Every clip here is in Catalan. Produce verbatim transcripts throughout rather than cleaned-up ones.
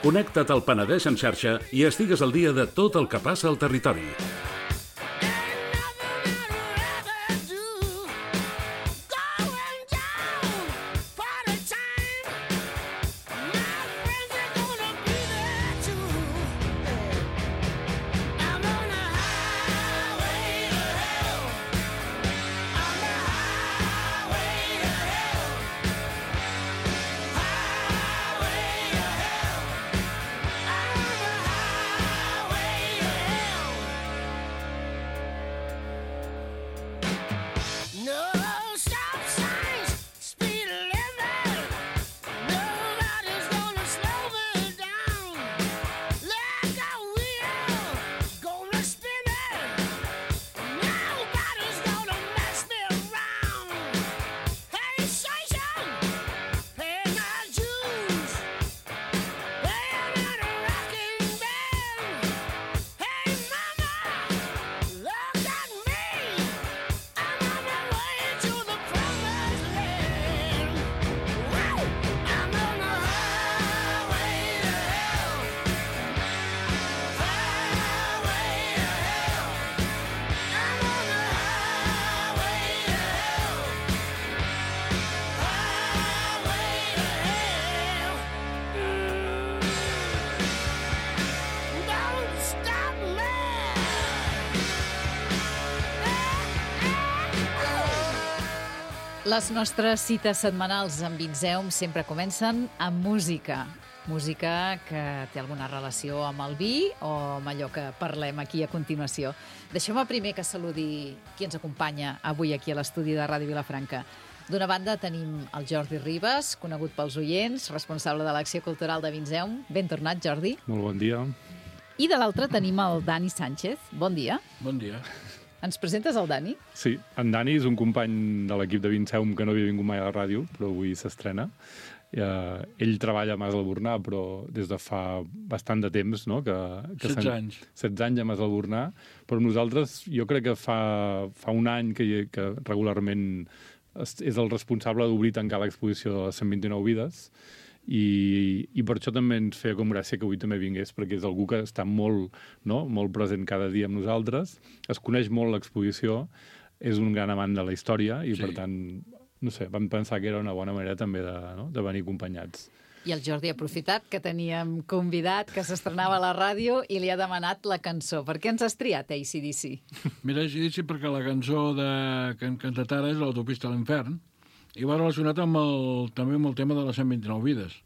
Connecta't al Penedès en xarxa i estigues al dia de tot el que passa al territori. Les nostres cites setmanals amb Vinzeum sempre comencen amb música. Música que té alguna relació amb el vi o amb allò que parlem aquí a continuació. Deixeu-me primer que saludi qui ens acompanya avui aquí a l'estudi de Ràdio Vilafranca. D'una banda tenim el Jordi Ribas, conegut pels oients, responsable de l'acció cultural de Vinzeum. Ben tornat, Jordi. Molt bon dia. I de l'altra tenim el Dani Sánchez. Bon dia. Bon dia. Ens presentes el Dani? Sí, en Dani és un company de l'equip de Vinzeum que no havia vingut mai a la ràdio, però avui s'estrena. Eh, ell treballa a Mas Albornà, però des de fa bastant de temps, no? Que, que setze anys. setze anys a Mas Albornà, però nosaltres, jo crec que fa, fa un any que, que regularment és el responsable d'obrir i tancar l'exposició de les cent vint-i-nou vides, i, i per això també ens feia com gràcia que avui també vingués, perquè és algú que està molt, no? molt present cada dia amb nosaltres, es coneix molt l'exposició, és un gran amant de la història i, sí. per tant, no sé, vam pensar que era una bona manera també de, no? de venir acompanyats. I el Jordi ha aprofitat que teníem convidat que s'estrenava a la ràdio i li ha demanat la cançó. Per què ens has triat A C D C? Mira, A C D C perquè la cançó de... que han cantat ara és l'Autopista a l'infern, i va relacionat amb el, també amb el tema de les cent vint-i-nou vides,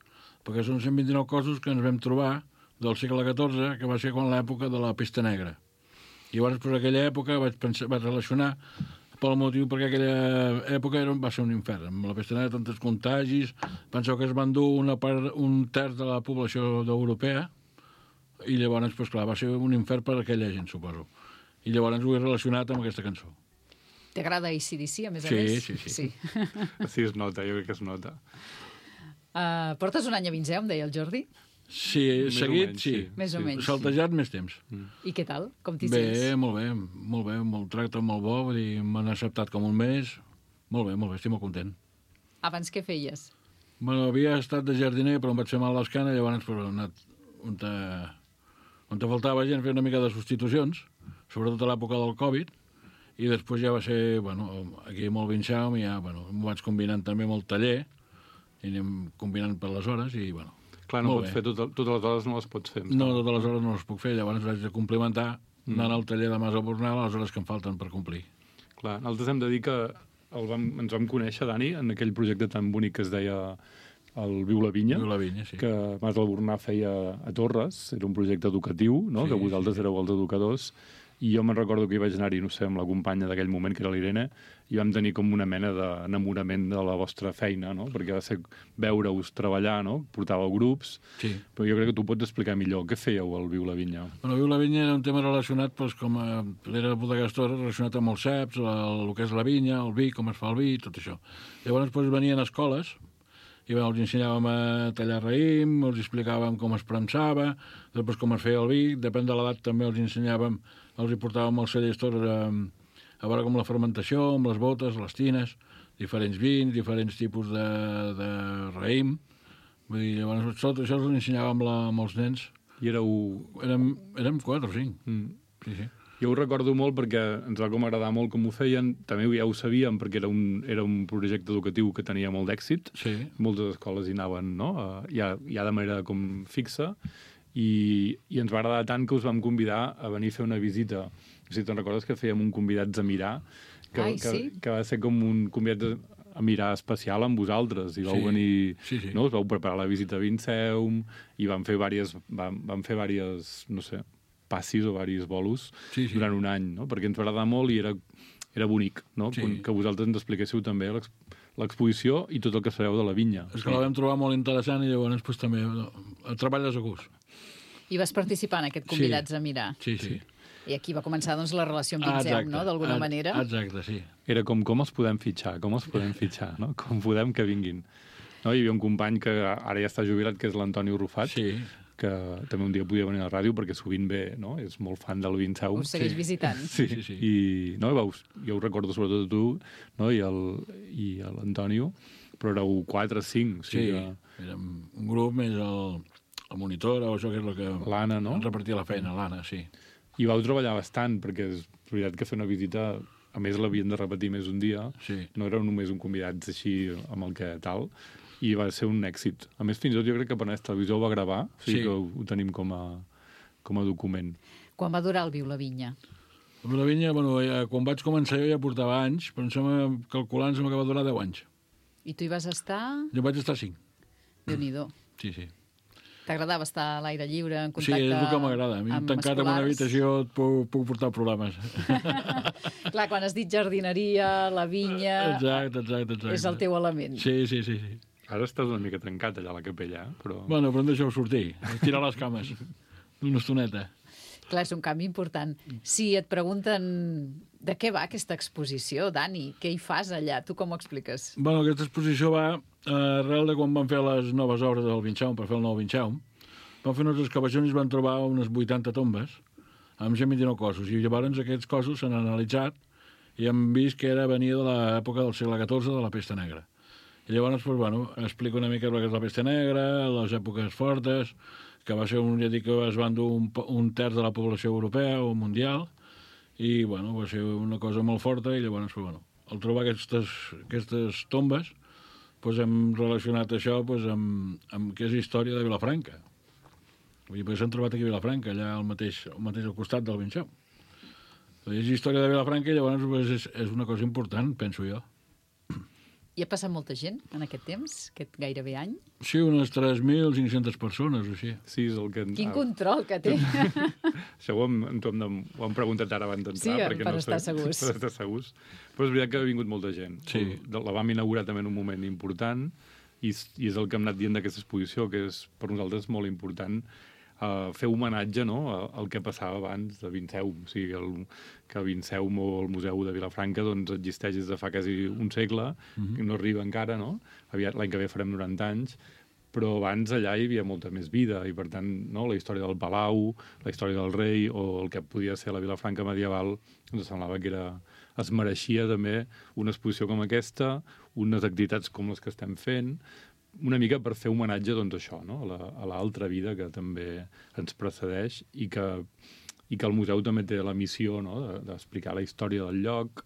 perquè són cent vint-i-nou cossos que ens vam trobar del segle catorze, que va ser quan l'època de la pesta negra. I llavors, per aquella època, vaig, pensar, vaig relacionar pel motiu perquè aquella època era, va ser un infern. Amb la pesta negra, tantes contagis, penseu que es van dur una part, un terç de la població europea, i llavors, pues, clar, va ser un infern per a aquella gent, suposo. I llavors ho he relacionat amb aquesta cançó. T'agrada A C D C, a més a sí, més? Sí, sí, sí. Sí, es nota, jo crec que es nota. Uh, portes un any a Vinzeum, deia el Jordi? Sí, més seguit, menys, sí. sí. Més o sí. menys. Saltejat més temps. Mm. I què tal? Com t'hi bé, sents? Bé, molt bé, molt bé, molt tracte molt bo, vull dir, m'han acceptat com un mes. Molt bé, molt bé, estic molt content. Abans què feies? Bueno, havia estat de jardiner, però em vaig fer mal l'escana, llavors però, he anat on te, on te faltava gent, fer una mica de substitucions, sobretot a l'època del Covid, i després ja va ser, bueno, aquí molt Vinzeum, i ja, bueno, m'ho vaig combinant també amb el taller, i anem combinant per les hores, i, bueno, clar, no molt pots bé. fer tot, totes les hores, no les pots fer. No, totes les hores no les puc fer, llavors vaig de complementar mm. anant al taller de Mas Albornà les hores que em falten per complir. Clar, nosaltres hem de dir que el vam, ens vam conèixer, Dani, en aquell projecte tan bonic que es deia el Viu la Vinya, Viu la Vinya, sí. que Mas Albornà feia a Torres, era un projecte educatiu, no? Sí, que vosaltres sí. éreu els educadors, i jo me'n recordo que hi vaig anar-hi, no sé, amb la companya d'aquell moment, que era l'Irene, i vam tenir com una mena d'enamorament de la vostra feina, no? Perquè va ser veure-us treballar, no? Portàveu grups, Sí. però jo crec que tu pots explicar millor. Què fèieu al Viu la Vinya? Bueno, Viu la Vinya era un tema relacionat, doncs, com a... Era bodegastor relacionat amb els ceps, el, el que és la vinya, el vi, com es fa el vi, tot això. Llavors, doncs, venien escoles, i bueno, els ensenyàvem a tallar raïm, els explicàvem com es premsava, després com es feia el vi, depèn de l'edat també els ensenyàvem, els hi portàvem als cellers tots a, a veure com la fermentació, amb les botes, les tines, diferents vins, diferents tipus de, de raïm. Vull dir, llavors tot això els ensenyàvem la, amb els nens. I éreu... Érem, érem quatre o cinc. Mm. Sí, sí. Jo ho recordo molt perquè ens va com agradar molt com ho feien. També ja ho sabíem perquè era un, era un projecte educatiu que tenia molt d'èxit. Sí. Moltes escoles hi anaven, no? Ja, ja de manera com fixa. I, I ens va agradar tant que us vam convidar a venir a fer una visita. Si te'n recordes que fèiem un convidats a mirar, que, Ai, que, sí? que va ser com un convidat a mirar especial amb vosaltres. I vau Sí, venir... sí, sí. No? Us vau preparar la visita a Vinceum i vam fer vàries, vam, vam fer vàries, no sé, passis o varis bolos Sí, sí. durant un any, no? Perquè ens va agradar molt i era, era bonic, no? Sí. Que, que vosaltres ens expliquéssiu també l'ex- l'exposició i tot el que sabeu de la vinya. És que la vam trobar molt interessant i llavors pues, també el treballes a gust. I vas participar en aquest Convidats Sí. a mirar. Sí, sí. I aquí va començar doncs, la relació amb Ah, Vinceum, no?, d'alguna Ah, manera. Exacte, sí. Era com com els podem fitxar, com els podem fitxar, no? Com podem que vinguin. No? Hi havia un company que ara ja està jubilat, que és l'Antoni Rufat, Sí. que també un dia podia venir a la ràdio perquè sovint ve, no? És molt fan del Vinceum. Us segueix visitant. Sí, Sí, sí. I no, veus, jo ho recordo sobretot a tu, no? I el- i a l'Antonio, però éreu quatre, cinc. O Sí, sigui, que érem un grup més el, el monitor o això que és el que... L'Anna, no? ens repartia la feina, l'Anna, sí. I vau treballar bastant, perquè és veritat que fer una visita, a més l'havien de repetir més un dia, Sí. no era només un convidat així amb el que tal, i va ser un èxit. A més, fins i tot jo crec que Penedès Televisió ho va gravar, o sigui Sí. que ho, ho tenim com a, com a document. Quan va durar el Viu la Vinya? Amb la vinya, bueno, ja, quan vaig començar jo ja portava anys, però em sembla, calculant, em sembla que va durar deu anys. I tu hi vas estar? Jo vaig estar cinc. Déu-n'hi-do. Sí, sí. T'agradava estar a l'aire lliure, en Sí, contacte és el que m'agrada. A mi, amb tancat en una escolars? habitació, et puc, puc portar problemes. Clar, quan has dit jardineria, la vinya... Exacte, exacte, exacte. És el teu element. Sí, sí, sí. sí. Ara estàs una mica trencat allà a la capella, eh? però... Bueno, però em deixeu sortir, tirar les cames. Una estoneta. Clar, és un canvi important. Si et pregunten de què va aquesta exposició, Dani, què hi fas allà? Tu com ho expliques? Bueno, aquesta exposició va eh, arrel de quan van fer les noves obres del Vinceum, per fer el nou Vinceum. Van fer unes excavacions i es van trobar unes vuitanta tombes amb cent vint-i-nou cossos. I llavors aquests cossos s'han analitzat i hem vist que era venia de l'època del segle catorze, de la pesta negra. I llavors, doncs, bueno, explico una mica el que és la pesta negra, les èpoques fortes, que va ser un, ja dic, que es van dur un, un terç de la població europea o mundial, i, bueno, va ser una cosa molt forta, i llavors, doncs, bueno, al trobar aquestes, aquestes tombes, doncs hem relacionat això doncs, amb, amb què és història de Vilafranca. Vull dir, perquè s'han trobat aquí a Vilafranca, allà al mateix, al mateix al costat del Vinceum. És història de Vilafranca i llavors doncs, és, és una cosa important, penso jo. Hi ha passat molta gent en aquest temps, aquest gairebé any? Sí, unes tres mil cinc-centes persones o així. Sí, és el que... Quin control que té! Això ho hem, ho hem, de, ho hem preguntat ara abans d'entrar. Sí, perquè per no estar sé, segurs. Per estar segurs. Però és veritat que ha vingut molta gent. Sí. La vam inaugurar també en un moment important i, i és el que hem anat dient d'aquesta exposició, que és per nosaltres molt important uh, fer homenatge, no?, al que passava abans de Vinceum. O sigui, el, que Vinceum o el Museu de Vilafranca doncs, existeix des de fa quasi un segle, Mhm. que no arriba encara, no? Aviat l'any que ve farem noranta anys, però abans allà hi havia molta més vida i, per tant, no, la història del Palau, la història del rei o el que podia ser la Vilafranca medieval, ens semblava que era, es mereixia també una exposició com aquesta, unes activitats com les que estem fent, una mica per fer homenatge doncs, a això, no? a l'altra vida que també ens precedeix i que, i que el museu també té la missió, no?, d'explicar la història del lloc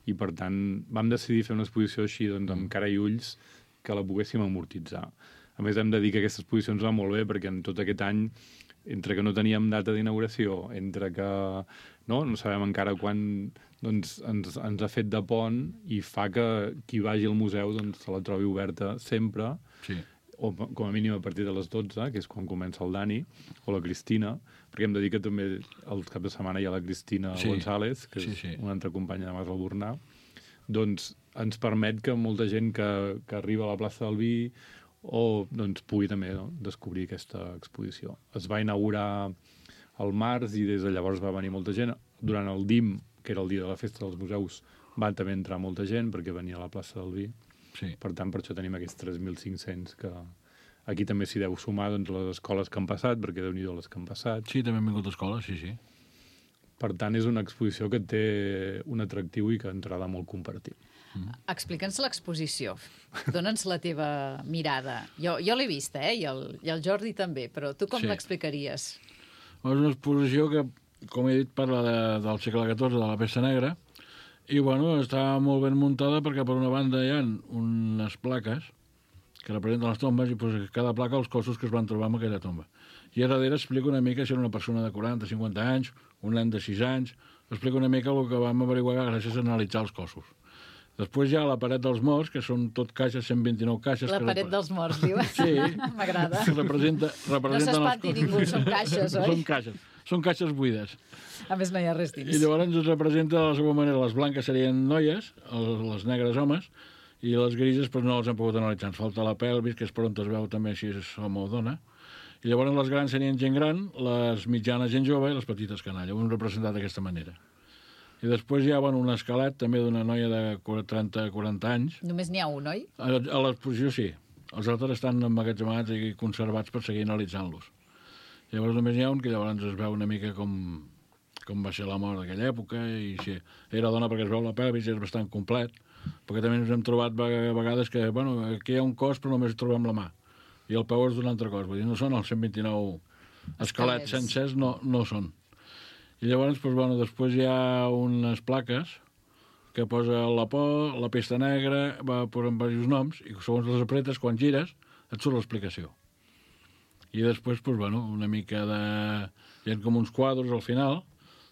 i, per tant, vam decidir fer una exposició així doncs, amb cara i ulls que la poguéssim amortitzar. A més, hem de dir que aquesta exposició ens va molt bé perquè en tot aquest any, entre que no teníem data d'inauguració, entre que no, no sabem encara quan doncs, ens, ens ha fet de pont i fa que qui vagi al museu doncs, se la trobi oberta sempre. Sí. o com a mínim a partir de les dotze, que és quan comença el Dani, o la Cristina, perquè hem de dir que també el cap de setmana hi ha la Cristina Sí. González, que Sí, és sí. una altra companya de Mas Albornà, doncs ens permet que molta gent que, que arriba a la plaça del Vi o doncs, pugui també no, descobrir aquesta exposició. Es va inaugurar al març i des de llavors va venir molta gent. Durant el D I M, que era el dia de la festa dels museus, van també entrar molta gent perquè venia a la plaça del Vi. Sí. Per tant, per això tenim aquests tres mil cinc-cents que aquí també s'hi deu sumar doncs, les escoles que han passat, perquè déu-n'hi-do les que han passat. Sí, també han vingut a escola, sí, sí. Per tant, és una exposició que té un atractiu i que ens agrada molt compartir. Explica'ns l'exposició. Dóna'ns la teva mirada. Jo, jo l'he vista, eh? I el, I el Jordi també, però tu com Sí. l'explicaries? És una exposició que, com he dit, parla de, del segle catorze, de la pesta negra, i, bueno, està molt ben muntada perquè, per una banda, hi ha unes plaques que representen les tombes i posa cada placa els cossos que es van trobar en aquella tomba. I a darrere explica una mica si era una persona de quaranta, cinquanta anys, un nen de sis anys, explica una mica el que vam averiguar gràcies a analitzar els cossos. Després hi ha la paret dels morts, que són tot caixes, cent vint-i-nou caixes. La que paret repre- dels morts, diu. Sí. M'agrada. que representa, No representen s'espanti els ningú, són caixes, oi? Són caixes, són caixes buides. A més, no hi ha res I dins. llavors ens representa de la següent manera. Les blanques serien noies, els- les negres homes, i les grises doncs, no les hem pogut analitzar. Ens falta la pelvis, que és per on es veu també si és home o dona. I llavors les grans serien gent gran, les mitjanes gent jove i les petites canalla. Ho hem representat d'aquesta manera. I després hi ha bueno, un esquelet també d'una noia de trenta a quaranta anys. Només n'hi ha un, oi? A, a l'exposició sí. Els altres estan emmagatzemats i conservats per seguir analitzant-los. Llavors només n'hi ha un que llavors es veu una mica com, com va ser la mort d'aquella època i si era dona perquè es veu la pelvis i és bastant complet, perquè també ens hem trobat a vegades que bueno, aquí hi ha un cos però només trobem la mà i el peu és d'un altre cos, vull dir, no són els cent vint-i-nou esquelets Esquelets. sencers, no, no són. I llavors, doncs, bueno, després hi ha unes plaques que posa la por, la pesta negra, va posant diversos noms, i segons les apretes, quan gires, et surt l'explicació. I després, doncs, bueno, una mica de... Hi ha com uns quadres al final,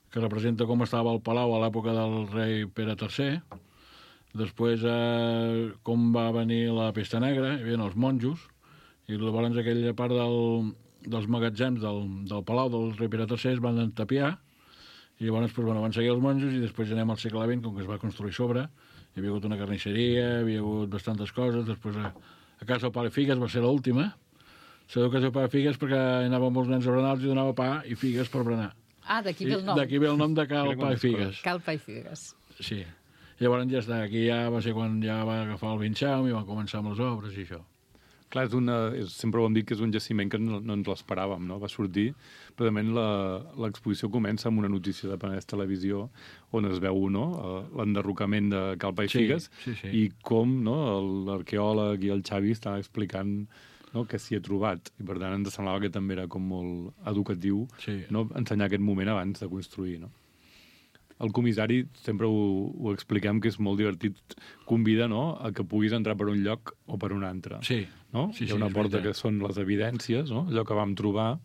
que representa com estava el palau a l'època del rei Pere tercer, després eh, com va venir la pesta negra, hi havia els monjos, i llavors aquella part del, dels magatzems del, del palau del rei Pere tercer es van entapiar, i llavors pues, bueno, van seguir els monjos i després anem al segle vint, com que es va construir sobre, hi havia hagut una carnisseria, hi havia hagut bastantes coses, després a, a casa del pare Figues va ser l'última, sabeu que casa del pare Figues perquè hi anaven molts nens a berenar, els hi donava pa i figues per berenar. Ah, d'aquí ve el I nom. D'aquí ve el nom de Cal Mira Pa i quantes Figues. Calpa i figues. Sí. Llavors ja està, aquí ja va ser quan ja va agafar el Vinxau i van començar amb les obres i això. Clar, és una, és, sempre ho hem dit que és un jaciment que no, no ens l'esperàvem, no? Va sortir, precisament la- l'exposició comença amb una notícia de Penedès Televisió on es veu no? eh, l'enderrocament de Calpa i Sí, Figues sí, sí. i com no? l'arqueòleg i el Xavi estan explicant no? què s'hi ha trobat. I per tant ens semblava que també era com molt educatiu Sí. no? ensenyar aquest moment abans de construir, no? El comissari, sempre ho, ho expliquem, que és molt divertit, convida no, a que puguis entrar per un lloc o per un altre. Sí. No? Sí, Hi ha sí, una és porta veritat. que són les evidències, no? Allò que vam trobar,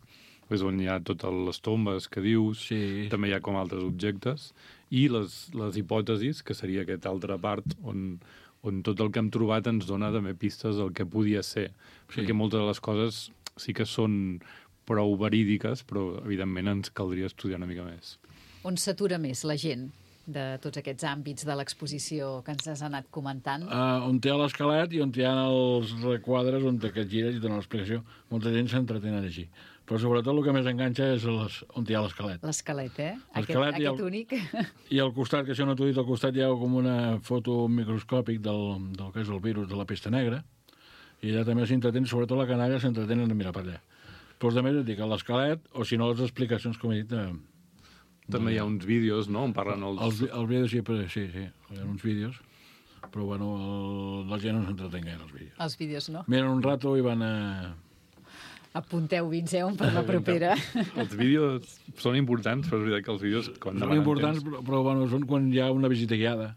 és on hi ha totes les tombes que dius, Sí. també hi ha com altres objectes, i les, les hipòtesis, que seria aquesta altra part on, on tot el que hem trobat ens dona també pistes del que podia ser. Sí. Perquè moltes de les coses sí que són prou verídiques, però evidentment ens caldria estudiar una mica més. On s'atura més la gent de tots aquests àmbits de l'exposició que ens has anat comentant? Uh, on hi ha l'esquelet i on hi ha els requadres on te que et gires i donen l'explicació. Molta gent s'entretenen així. Però sobretot el que més enganxa és les, on hi ha l'esquelet. L'esquelet, eh? Aquest, L'esquelet i aquest el- únic. I al costat, que això no t'ho he dit, al costat hi ha com una foto microscòpic del, del que és el virus de la pesta negra, i allà també s'entretenen, sobretot la canalla, s'entretenen a mirar per allà. Però els altres et dic, l'esquelet, o si no les explicacions, com he dit, de, També hi ha uns vídeos, no?, on parlen els... els, els vídeos sí, però, sí, sí, hi ha uns vídeos, però bueno, el, la gent no s'entretén gaire els vídeos. Els vídeos, no? Miren un rato i van a... Apunteu Vinceum per la propera. Els vídeos són importants, però és veritat que els vídeos... Quan Són demanen importants, temps- però, però bueno, són quan hi ha una visita guiada,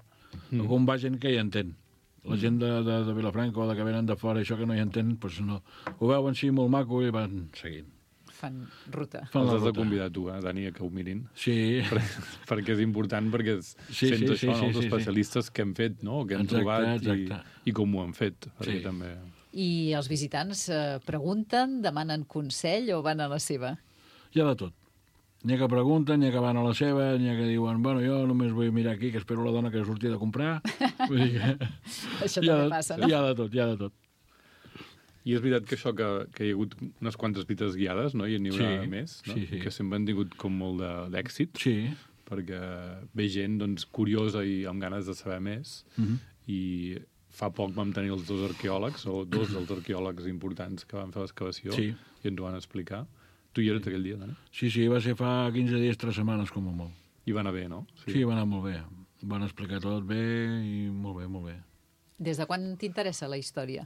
mm. o quan va gent que hi entén. La gent de, de, de Vilafranca o de que venen de fora, això que no hi entén, doncs no. Ho veuen sí molt maco i van seguint. Fan ruta. Fan Els la has de ruta. convidar tu, eh, Dani, a que ho mirin. Sí, Per, perquè és important, perquè es, Sí, sents sí, això, sí, no? sí, els sí, sí. especialistes que hem fet, no? que hem Exacte, trobat exacte. i, i com ho han fet. Perquè Sí. també... I els visitants eh, pregunten, demanen consell o van a la seva? Hi ha de tot. N'hi ha que pregunten, n'hi ha que van a la seva, n'hi ha que diuen, bueno, jo només vull mirar aquí, que espero la dona que surti de comprar. Vull dir que... Això també passa, no? Hi ha de tot, hi ha de tot. I és veritat que això, que, que hi ha hagut unes quantes visites guiades, no? I n'hi haurà Sí, més, no? sí, sí. Que sempre han tingut com molt de- d'èxit, Sí. perquè ve gent doncs, curiosa i amb ganes de saber més. Mhm. I fa poc vam tenir els dos arqueòlegs, o dos dels arqueòlegs importants que van fer l'excavació, Sí. i ens ho van explicar. Tu hi eres aquell dia, Dani? Sí, sí, va ser fa quinze dies, tres setmanes, com a molt. I va anar bé, no? Sí. sí, va anar molt bé. Van explicar tot bé i molt bé, molt bé. Des de quan t'interessa la història?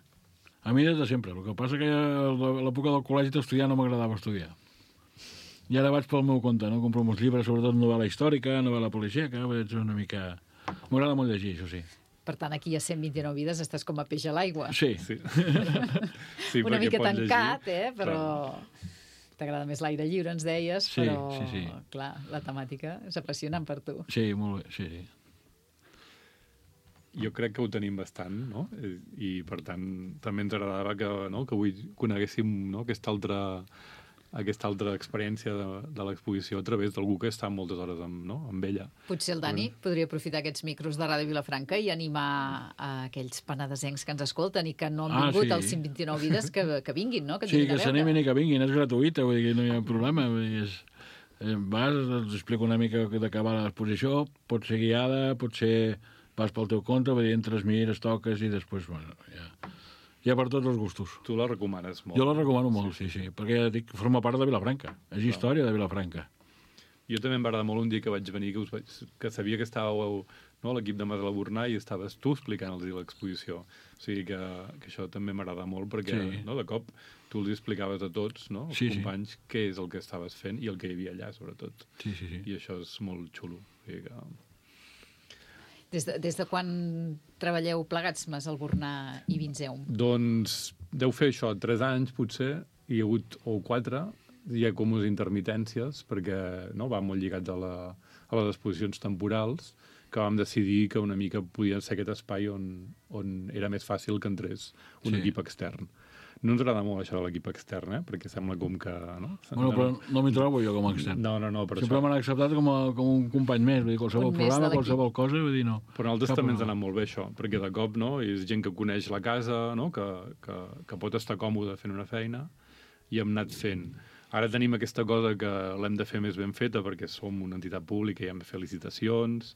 A mi des de sempre. El que passa que a l'època del col·legi d'estudiar no m'agradava estudiar. I ara vaig pel meu compte, no? Compro molts llibres, sobretot novel·la històrica, novel·la policíaca, vaig una mica... M'agrada molt llegir, això sí. Per tant, aquí a cent vint-i-nou vides estàs com a peix a l'aigua. Sí. Sí. sí Una perquè mica pots tancat, llegir. eh? Però t'agrada més l'aire lliure, ens deies, Sí, però, sí, sí. clar, la temàtica és apassionant per tu. Sí, molt bé, sí, sí. Jo crec que ho tenim bastant, no? I, i per tant, també ens agradava que, no? que avui coneguéssim, no? aquesta altra aquesta altra experiència de, de l'exposició a través d'algú que està moltes hores amb, no? amb ella. Potser el Dani podria aprofitar aquests micros de Ràdio Vilafranca i animar a aquells penedesencs que ens escolten i que no han Ah, vingut sí. als cent vint-i-nou vides que, que vinguin, no? Que, ens Sí, vinguin que a veure. s'animin i que vinguin, és gratuïta, vull dir que no hi ha problema. Vull dir, és, eh, vas, els explico una mica de què va l'exposició, pot ser guiada, pot ser vas pel teu compte, vull dir, entres, mires, toques i després, bueno, ja, ja per tots els gustos. Tu la recomanes molt. Jo la recomano molt, sí, sí, perquè ja dic, forma part de Vilafranca, és història de Vilafranca. Jo també em va agradar molt un dia que vaig venir, que, us vaig, que sabia que estàveu, no, l'equip de Mas de la Bornà, i estaves tu explicant-los l'exposició. O sigui que, que això també m'agrada molt, perquè Sí. no, de cop tu els explicaves a tots, no, els Sí, sí. companys, què és el que estaves fent i el que hi havia allà, sobretot. Sí, sí, sí. I això és molt xulo. O sigui que... Des de, des de quan treballeu plegats, Mas Albornà i Vinzeum? Doncs deu fer això, tres anys potser, hi ha hagut, o quatre, hi ha com unes intermitències, perquè no, va molt lligats a, la, a les exposicions temporals, que vam decidir que una mica podia ser aquest espai on, on era més fàcil que entrés un Sí. equip extern. No ens agrada molt això de l'equip extern, eh? perquè sembla com que... No, Bueno, però no m'hi trobo jo com a extern. no, no, no, per Sempre això. m'han acceptat com, a, com un company més, vull dir, qualsevol Un més de programa, l'equip. qualsevol cosa, vull dir, no. Però a nosaltres Cap també ens ha problema. anat molt bé això, perquè de cop no, és gent que coneix la casa, no? que, que, que pot estar còmode fent una feina, i hem anat fent. Ara tenim aquesta cosa que l'hem de fer més ben feta perquè som una entitat pública i hem de fer licitacions,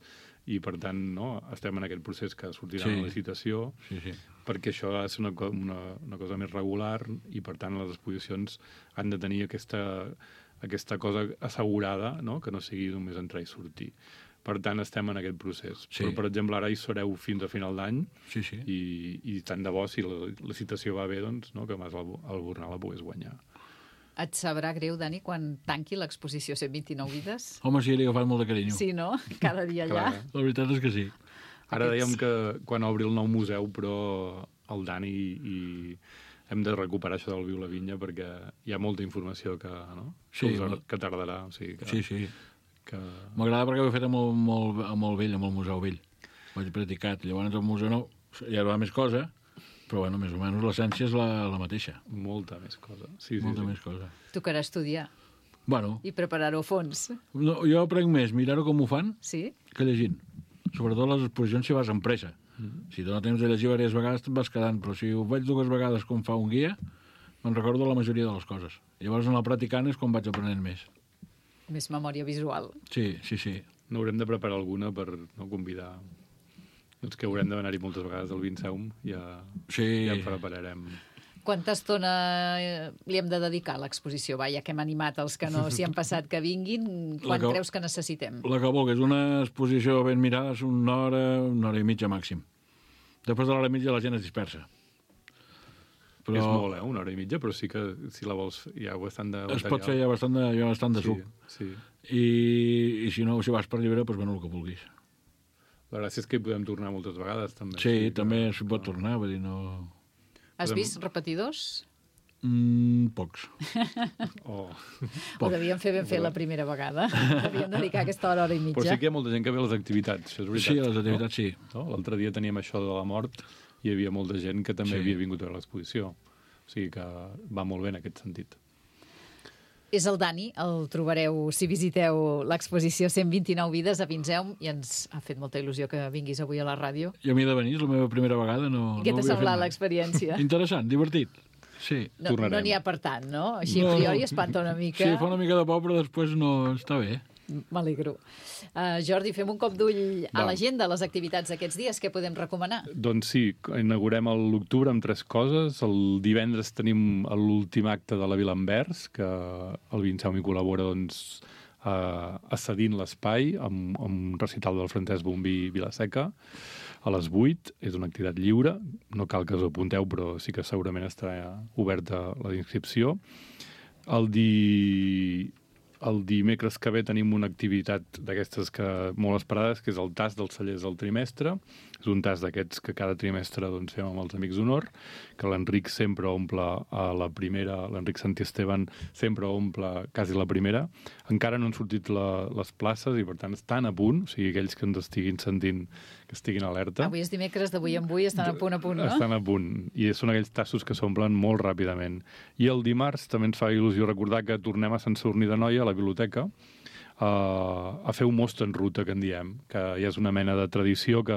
i per tant no, estem en aquest procés que sortirà Sí. una licitació, Sí, sí. perquè això ha de ser una, co- una, una cosa més regular, i per tant les exposicions han de tenir aquesta, aquesta cosa assegurada, no? que no sigui només entrar i sortir. Per tant, estem en aquest procés. Sí. Però, per exemple, ara hi sereu fins a final d'any, Sí, sí. i, i tant de bo, si la, la citació va bé, doncs, no? que Mas Albornà la pogués guanyar. Et sabrà greu, Dani, quan tanqui l'exposició cent vint-i-nou vides? Home, sí, li he agafat molt de carinyo. Sí, no? Cada dia allà. Clar. La veritat és que sí. Ara Aquests- dèiem que quan obri el nou museu, però el Dani i hem de recuperar això del Viu la Vinya, perquè hi ha molta informació que, no? Sí, que, us- molt. que tardarà. O sigui que, Sí, sí. que... M'agrada perquè ho he fet amb el, molt, amb el vell, amb el Museu Vell. Ho vaig practicat. Llavors el Museu Nou ja va més cosa, però bueno, més o menys l'essència és la, la mateixa. Molta més cosa. Sí, sí, Molta sí. més cosa. Tocarà estudiar Bueno, i preparar-ho a fons. no, jo aprenc més mirar-ho com ho fan Sí? que llegint. Sobretot les exposicions si vas amb pressa. Mm. Si dona temps de llegir diverses vegades te'n vas quedant, però si ho veig dues vegades com fa un guia, me'n recordo la majoria de les coses. Llavors en el practicant és quan vaig aprenent més. Més memòria visual. Sí, sí, sí. N'haurem de preparar alguna per no convidar... Els que haurem d'anar-hi moltes vegades al Vinceum, ja, Sí. ja en prepararem. Quanta estona eh, li hem de dedicar a l'exposició? Va, ja que hem animat els que no s'hi han passat que vinguin, quan que- creus que necessitem? La que vulguis, una exposició ben mirada és una hora, una hora i mitja màxim. Després de l'hora i mitja la gent es dispersa. Però... És molt, eh? Una hora i mitja, però sí que si la vols hi ha bastant de Es pot fer ja bastant de, ja bastant de suc. Sí, sí. I, I si no, si vas per llibre, doncs bueno, el que vulguis. La gràcia és que hi podem tornar moltes vegades, també. Sí, que- també s'hi pot tornar, vull dir, no... Has Podem- vist repetidors? Mm, pocs. Oh. Ho devíem fer ben fet la primera vegada. Devíem dedicar aquesta hora, hora i mitja. Però sí que hi ha molta gent que ve a les activitats, això és veritat. Sí, a les activitats sí. No? No? L'altre dia teníem això de la mort hi havia molta gent que també Sí. havia vingut a veure l'exposició. O sigui que va molt bé en aquest sentit. És el Dani, el trobareu si visiteu l'exposició cent vint-i-nou vides a Vinzeum i ens ha fet molta il·lusió que vinguis avui a la ràdio. I a mi de venir, és la meva primera vegada. No, I què no t'ha ho havia semblat fet mai. l'experiència? Interessant, divertit. Sí. No Tornarem. no n'hi ha per tant, no? Així No, a priori no. espanta una mica. Sí, fa una mica de por, però després no està bé. M'alegro. Uh, Jordi, fem un cop d'ull a Va. l'agenda, a les activitats d'aquests dies. Què podem recomanar? Doncs sí, inaugurem a l'octubre amb tres coses. El divendres tenim l'últim acte de la Vila Anvers, que el Vinceum hi col·labora doncs, eh, accedint l'espai amb, amb un recital del Francesc Bombí Vilaseca a les vuit. És una activitat lliure, no cal que us apunteu, però sí que segurament estarà oberta la inscripció. El di... El dimecres que ve tenim una activitat d'aquestes que molt esperades, que és el tast dels cellers del trimestre. És un tast d'aquests que cada trimestre doncs, fem amb els Amics d'Honor, que l'Enric sempre omple a la primera, l'Enric Santiesteban sempre omple quasi la primera. Encara no han sortit la, les places i, per tant, estan a punt, o sigui, aquells que ens estiguin sentint, que estiguin alerta. Avui és dimecres, d'avui en avui estan a punt a punt, no? Estan a punt, i són aquells tassos que s'omplen molt ràpidament. I el dimarts també ens fa il·lusió recordar que tornem a Sant Sadurní d'Anoia, a la biblioteca, Uh, a fer un most en ruta, que en diem, que ja és una mena de tradició que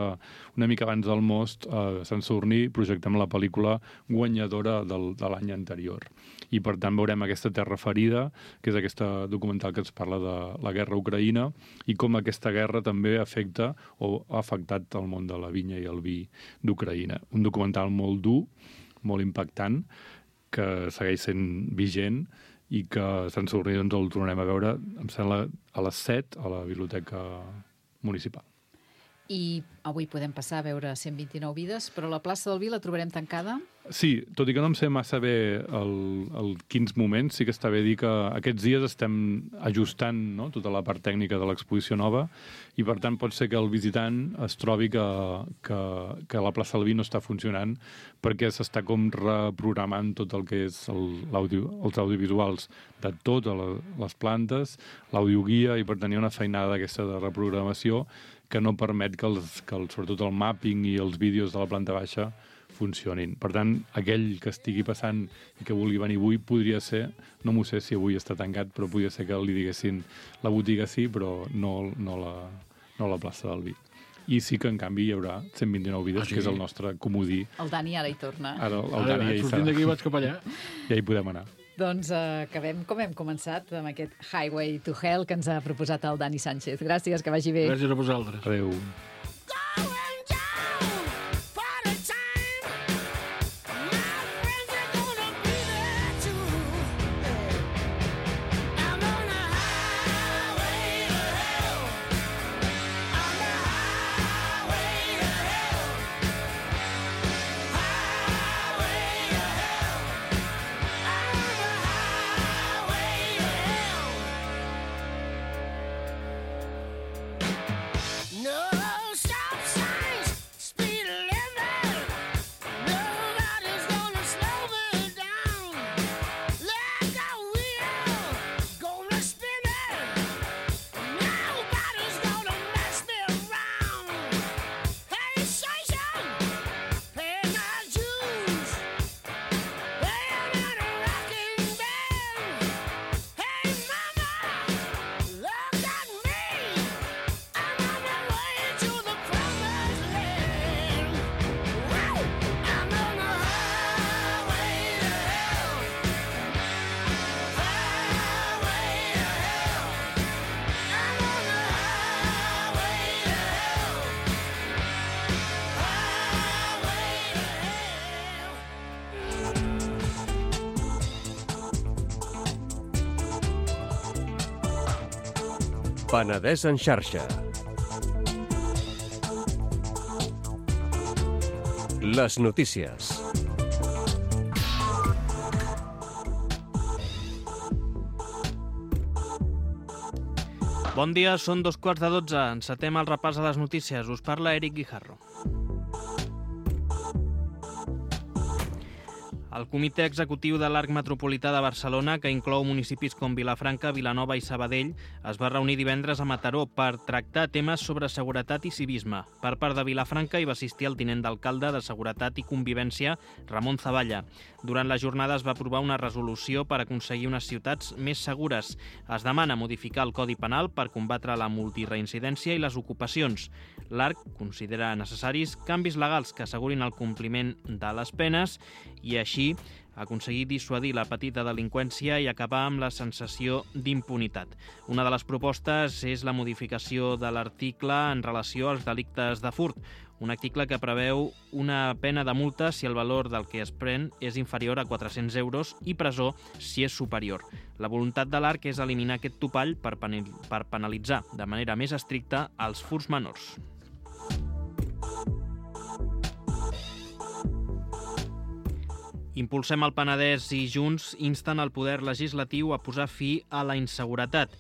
una mica abans del most uh, a Sant Sadurní projectem la pel·lícula guanyadora del, de l'any anterior. I per tant veurem aquesta terra ferida, que és aquesta documental que ens parla de la guerra a Ucraïna i com aquesta guerra també afecta o ha afectat el món de la vinya i el vi d'Ucraïna. Un documental molt dur, molt impactant, que segueix sent vigent i que a Sant Sadurní doncs, el tornarem a veure, em sembla, a les set a la Biblioteca Municipal. I avui podem passar a veure cent vint-i-nou vides, però la plaça del Vi la trobarem tancada? Sí, tot i que no em sé massa bé el, el quins moments, sí que està bé dir que aquests dies estem ajustant, no?, tota la part tècnica de l'exposició nova i, per tant, pot ser que el visitant es trobi que, que, que la plaça del Vi no està funcionant perquè s'està com reprogramant tot el que és el, l'audio, els audiovisuals de totes les plantes, l'audioguia, i per tant hi ha una feinada d'aquesta de reprogramació que no permet que, els, que el, sobretot el mapping i els vídeos de la planta baixa funcionin. Per tant, aquell que estigui passant i que vulgui venir avui podria ser, no m'ho sé si avui està tancat, però podria ser que li diguessin la botiga sí, però no, no, la, no la plaça del Vi. I sí que, en canvi, hi haurà cent vint-i-nou vides, ah, sí? Que és el nostre comodí. El Dani ara hi torna. Ara el, el Ara, Dani ja hi sortint d'aquí serà. vaig cap allà. Ja hi podem anar. Doncs uh, acabem com hem començat, amb aquest Highway to Hell que ens ha proposat el Dani Sánchez. Gràcies, que vagi bé. Gràcies a vosaltres. Adéu. Penedès en xarxa. Les notícies. Bon dia, són dos quarts de dotze. Encetem el repàs a les notícies. Us parla Eric Guijarro. El Comitè Executiu de l'Arc Metropolità de Barcelona, que inclou municipis com Vilafranca, Vilanova i Sabadell, es va reunir divendres a Mataró per tractar temes sobre seguretat i civisme. Per part de Vilafranca hi va assistir el tinent d'alcalde de Seguretat i Convivència, Ramon Zavalla. Durant la jornada es va aprovar una resolució per aconseguir unes ciutats més segures. Es demana modificar el Codi Penal per combatre la multireincidència i les ocupacions. L'Arc considera necessaris canvis legals que assegurin el compliment de les penes i així aconseguir dissuadir la petita delinqüència i acabar amb la sensació d'impunitat. Una de les propostes és la modificació de l'article en relació als delictes de furt, un article que preveu una pena de multa si el valor del que es pren és inferior a quatre-cents euros i presó si és superior. La voluntat de l'Arc és eliminar aquest topall per penalitzar de manera més estricta els furts menors. Impulsem el Penedès i Junts insten el poder legislatiu a posar fi a la inseguretat.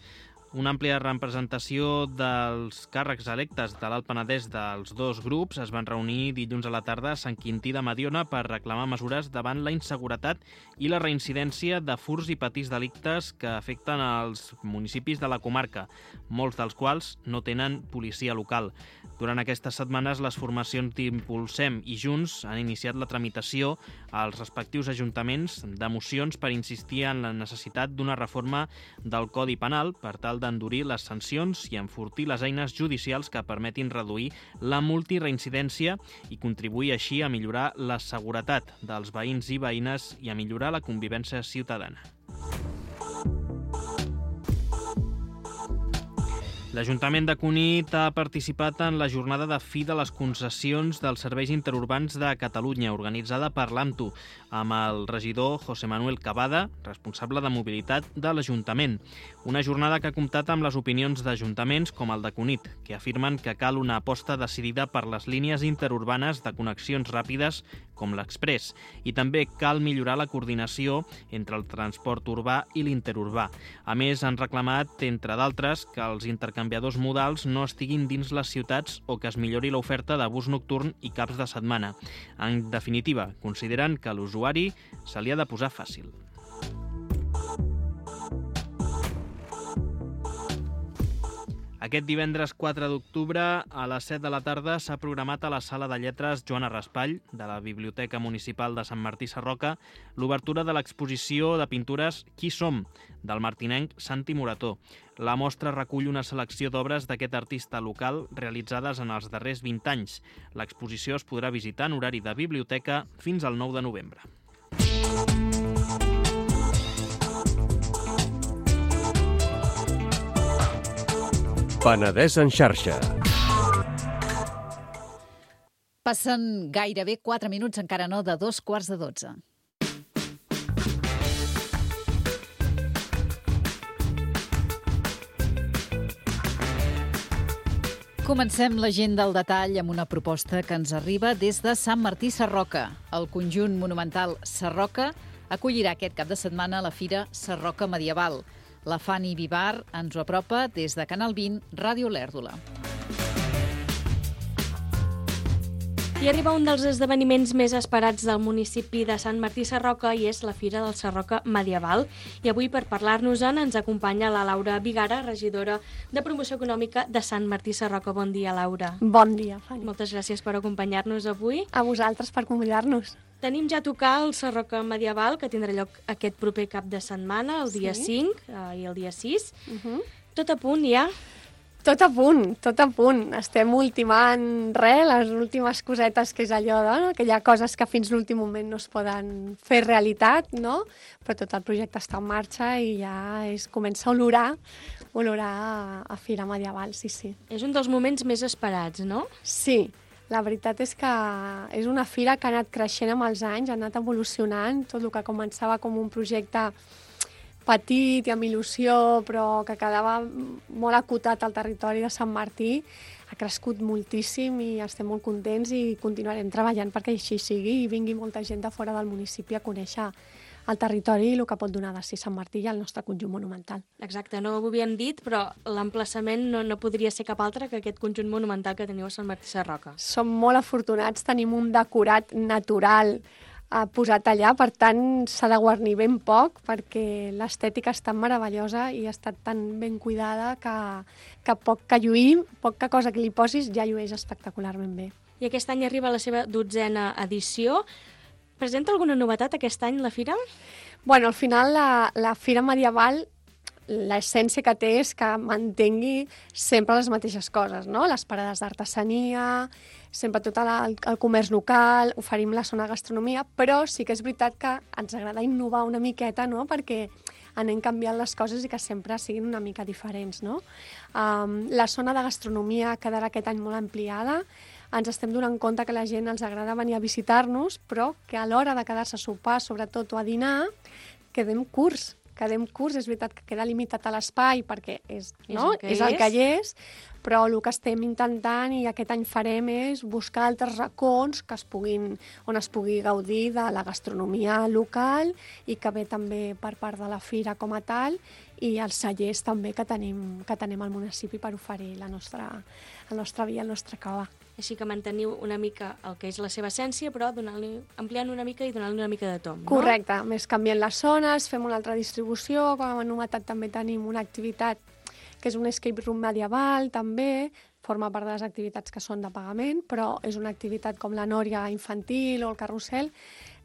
Una àmplia representació dels càrrecs electes de l'Alt Penedès dels dos grups es van reunir dilluns a la tarda a Sant Quintí de Mediona per reclamar mesures davant la inseguretat i la reincidència de furts i petits delictes que afecten els municipis de la comarca, molts dels quals no tenen policia local. Durant aquestes setmanes, les formacions d'Impulsem i Junts han iniciat la tramitació als respectius ajuntaments de mocions per insistir en la necessitat d'una reforma del Codi Penal per tal d'endurir les sancions i enfortir les eines judicials que permetin reduir la multireincidència i contribuir així a millorar la seguretat dels veïns i veïnes i a millorar la convivència ciutadana. L'Ajuntament de Cunit ha participat en la jornada de fi de les concessions dels serveis interurbans de Catalunya, organitzada per l'AMTU, amb el regidor José Manuel Cavada, responsable de mobilitat de l'Ajuntament. Una jornada que ha comptat amb les opinions d'ajuntaments com el de Cunit, que afirmen que cal una aposta decidida per les línies interurbanes de connexions ràpides com l'Express, i també cal millorar la coordinació entre el transport urbà i l'interurbà. A més, han reclamat, entre d'altres, que els intercanviadors modals no estiguin dins les ciutats o que es millori l'oferta de bus nocturn i caps de setmana. En definitiva, consideren que a l'usuari se li ha de posar fàcil. Aquest divendres quatre d'octubre a les set de la tarda s'ha programat a la Sala de Lletres Joana Raspall de la Biblioteca Municipal de Sant Martí Sarroca l'obertura de l'exposició de pintures Qui som? Del martinenc Santi Morató. La mostra recull una selecció d'obres d'aquest artista local realitzades en els darrers vint anys. L'exposició es podrà visitar en horari de biblioteca fins al nou de novembre. Penedès en xarxa. Passen gairebé quatre minuts, encara no, de dos quarts de dotze. Comencem l'agenda al detall amb una proposta que ens arriba des de Sant Martí Sarroca. El conjunt monumental Sarroca acollirà aquest cap de setmana la Fira Sarroca Medieval. La Fanny Vivar ens ho apropa des de Canal vint, Ràdio Lèrdula. I arriba un dels esdeveniments més esperats del municipi de Sant Martí Sarroca i és la Fira del Sarroca Medieval. I avui, per parlar-nos-en, ens acompanya la Laura Vigara, regidora de Promoció Econòmica de Sant Martí Sarroca. Bon dia, Laura. Bon dia, Fanny. Moltes gràcies per acompanyar-nos avui. A vosaltres per convidar-nos. Tenim ja a tocar el Sarroca Medieval, que tindrà lloc aquest proper cap de setmana, el dia sí. cinc eh, i el dia sis. Uh -huh. Tot a punt ja? Tot a punt, tot a punt. Estem ultimant res, les últimes cosetes, que és allò de, no? Que hi ha coses que fins l'últim moment no es poden fer realitat, no? Però tot el projecte està en marxa i ja es comença a olorar, olorar a, a Fira Medieval, sí, sí. És un dels moments més esperats, no? Sí. La veritat és que és una fira que ha anat creixent amb els anys, ha anat evolucionant, tot el que començava com un projecte petit i amb il·lusió, però que quedava molt acotat al territori de Sant Martí, ha crescut moltíssim i estem molt contents i continuarem treballant perquè així sigui i vingui molta gent de fora del municipi a conèixer el territori i el que pot donar de si Sant Martí i el nostre conjunt monumental. Exacte, no ho havíem dit, però l'emplaçament no, no podria ser cap altre que aquest conjunt monumental que teniu a Sant Martí Sarroca. Som molt afortunats, tenim un decorat natural ha posat allà, per tant s'ha de guarnir ben poc perquè l'estètica és tan meravellosa i ha estat tan ben cuidada que, que poc que lluïm, poca cosa que li posis ja llueix espectacularment bé. I aquest any arriba la seva dotzena edició. Presenta alguna novetat aquest any la fira? Bueno, al final la, la Fira Medieval, l'essència que té és que mantengui sempre les mateixes coses, no? Les parades d'artesania, sempre tot el, el comerç local, oferim la zona de gastronomia, però sí que és veritat que ens agrada innovar una miqueta, no? Perquè anem canviant les coses i que sempre siguin una mica diferents, no? Um, la zona de gastronomia quedarà aquest any molt ampliada, ens estem donant compte que la gent els agrada venir a visitar-nos, però que a l'hora de quedar-se a sopar, sobretot, o a dinar, quedem curts. Quedem curts, és veritat que queda limitat a l'espai perquè és, no? és, el és el que hi és, però el que estem intentant i aquest any farem és buscar altres racons que es puguin, on es pugui gaudir de la gastronomia local i que ve també per part de la fira com a tal i els cellers també que tenim, que tenim al municipi per oferir la nostra, el nostre vi, el nostre cava. Així que manteniu una mica el que és la seva essència, però donant-li, ampliant una mica i donant-li una mica de tom, no? Correcte, més canviant les zones, fem una altra distribució, com a novetat també tenim una activitat que és un escape room medieval, també, forma part de les activitats que són de pagament, però és una activitat com la nòria infantil o el carrusel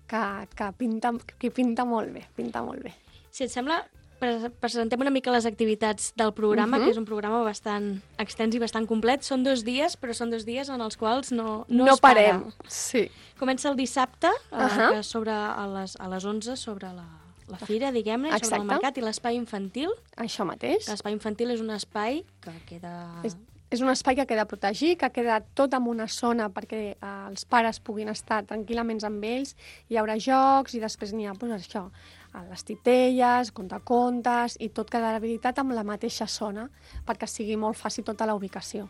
que, que, pinta, que pinta molt bé, pinta molt bé. Si et sembla, presentem una mica les activitats del programa, uh-huh. que és un programa bastant extens i bastant complet. Són dos dies, però són dos dies en els quals no, no, no es para. parem. Sí. Comença el dissabte, uh-huh. eh, sobre a les, a les onze, sobre la, la fira, diguem-ne, sobre el mercat i l'espai infantil. Això mateix. L'espai infantil és un espai que queda... És... És un espai que queda protegit, que queda tot en una zona perquè eh, els pares puguin estar tranquil·ament amb ells. Hi haurà jocs i després n'hi ha doncs, això, les titelles, contacontes i tot quedarà habilitat amb la mateixa zona perquè sigui molt fàcil tota la ubicació.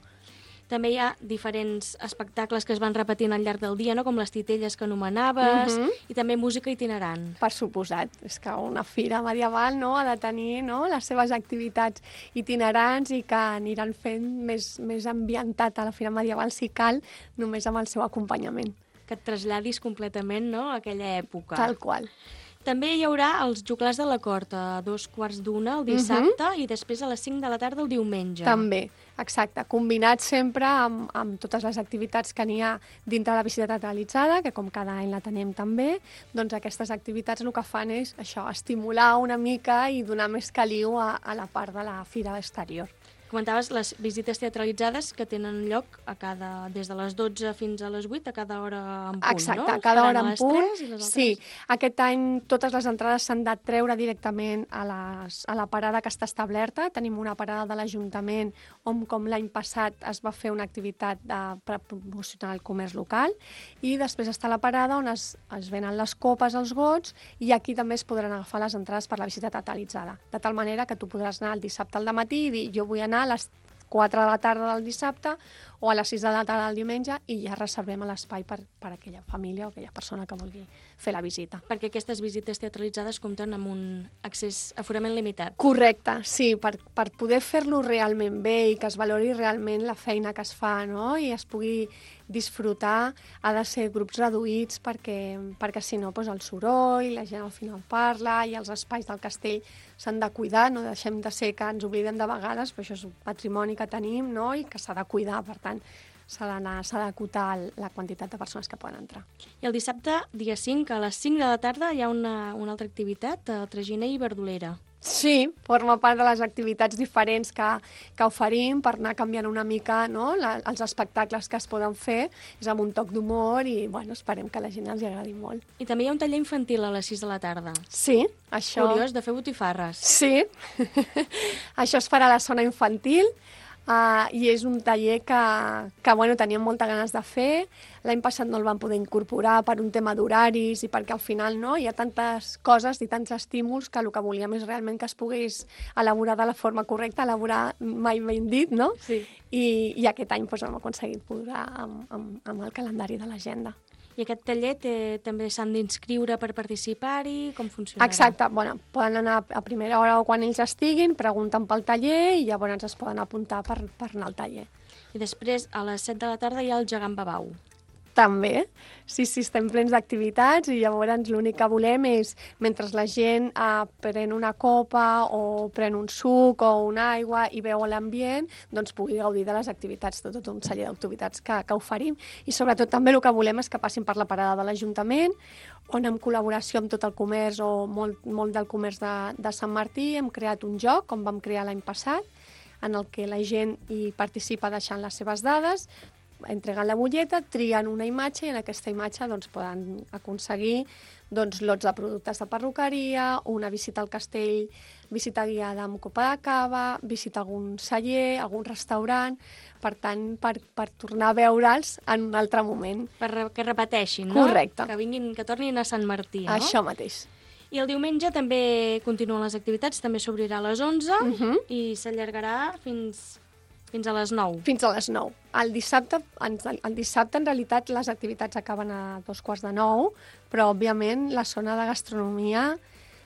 També hi ha diferents espectacles que es van repetint al llarg del dia, no? Com les titelles que anomenaves, uh-huh. i també música itinerant. Per suposat. És que una fira medieval no, ha de tenir no, les seves activitats itinerants i que aniran fent més, més ambientat a la fira medieval si cal, només amb el seu acompanyament. Que et traslladis completament, no?, a aquella època. Tal qual. També hi haurà els joglars de la cort a dos quarts d'una el dissabte uh-huh. i després a les cinc de la tarda el diumenge. També, exacte. Combinat sempre amb, amb totes les activitats que n'hi ha dintre la visita teatralitzada, que com cada any la tenim també, doncs aquestes activitats el que fan és això, estimular una mica i donar més caliu a, a la part de la fira exterior. Comentaves les visites teatralitzades que tenen lloc a cada, des de les dotze fins a les vuit, a cada hora en punt, Exacte, no? Exacte, a cada hora en punt. Sí, aquest any totes les entrades s'han de treure directament a, les, a la parada que està establerta. Tenim una parada de l'Ajuntament on, com l'any passat, es va fer una activitat de, per promocionar el comerç local i després està la parada on es, es venen les copes, els gots, i aquí també es podran agafar les entrades per la visita teatralitzada. De tal manera que tu podràs anar el dissabte al dematí i dir jo vull anar a les quatre de la tarda del dissabte o a les sis de la tarda del diumenge i ja reservem l'espai per, per a aquella família o aquella persona que vulgui fer la visita. Perquè aquestes visites teatralitzades compten amb un accés aforament limitat. Correcte, sí, per, per poder fer-lo realment bé i que es valori realment la feina que es fa, no?, i es pugui disfrutar, ha de ser grups reduïts perquè, perquè si no, doncs el soroll, la gent al final parla i els espais del castell s'han de cuidar, no deixem de ser que ens oblidem de vegades, però això és un patrimoni que tenim, no?, i que s'ha de cuidar, per tant, s'ha d'anar, s'ha d'acotar la quantitat de persones que poden entrar. I el dissabte, dia cinc, a les cinc de la tarda, hi ha una, una altra activitat, traginer i verdolera. Sí, forma part de les activitats diferents que, que oferim per anar canviant una mica, no?, la, els espectacles que es poden fer, és amb un toc d'humor i bueno, esperem que a la gent els agradi molt. I també hi ha un taller infantil a les sis de la tarda. Sí, això... Curiós, de fer botifarres. Sí, això es farà a la zona infantil. Uh, i és un taller que, que bueno, teníem moltes ganes de fer. L'any passat no el vam poder incorporar per un tema d'horaris i perquè al final no, hi ha tantes coses i tants estímuls que el que volíem és realment que es pogués elaborar de la forma correcta, elaborar mai ben dit, no? Sí. I, i aquest any doncs, hem aconseguit posar amb, amb, amb el calendari de l'agenda. I aquest taller té, també s'han d'inscriure per participar-hi? Com funcionarà? Exacte. Bueno, poden anar a primera hora o quan ells estiguin, pregunten pel taller i llavors es poden apuntar per, per anar al taller. I després, a les set de la tarda, hi ha el gegant babau. També. Sí, sí, estem plens d'activitats i llavors l'únic que volem és, mentre la gent eh, pren una copa o pren un suc o una aigua i veu l'ambient, doncs pugui gaudir de les activitats, tot, tot un celler d'activitats que, que oferim. I sobretot també el que volem és que passin per la parada de l'Ajuntament, on en col·laboració amb tot el comerç o molt, molt del comerç de, de Sant Martí hem creat un joc, com vam crear l'any passat, en el que la gent hi participa deixant les seves dades, entregant la butlleta, trien una imatge i en aquesta imatge doncs, poden aconseguir doncs, lots de productes de perruqueria, una visita al castell, visita guiada amb copa de cava, visita a algun celler, algun restaurant, per tant, per, per tornar a veure'ls en un altre moment. Per que repeteixin, no? Correcte. Que vinguin, que tornin a Sant Martí, no? Això mateix. I el diumenge també continuen les activitats, també s'obrirà a les onze Uh -huh. i s'allargarà fins... Fins a les nou. Fins a les nou. El dissabte, el dissabte, en realitat, les activitats acaben a dos quarts de nou, però, òbviament, la zona de gastronomia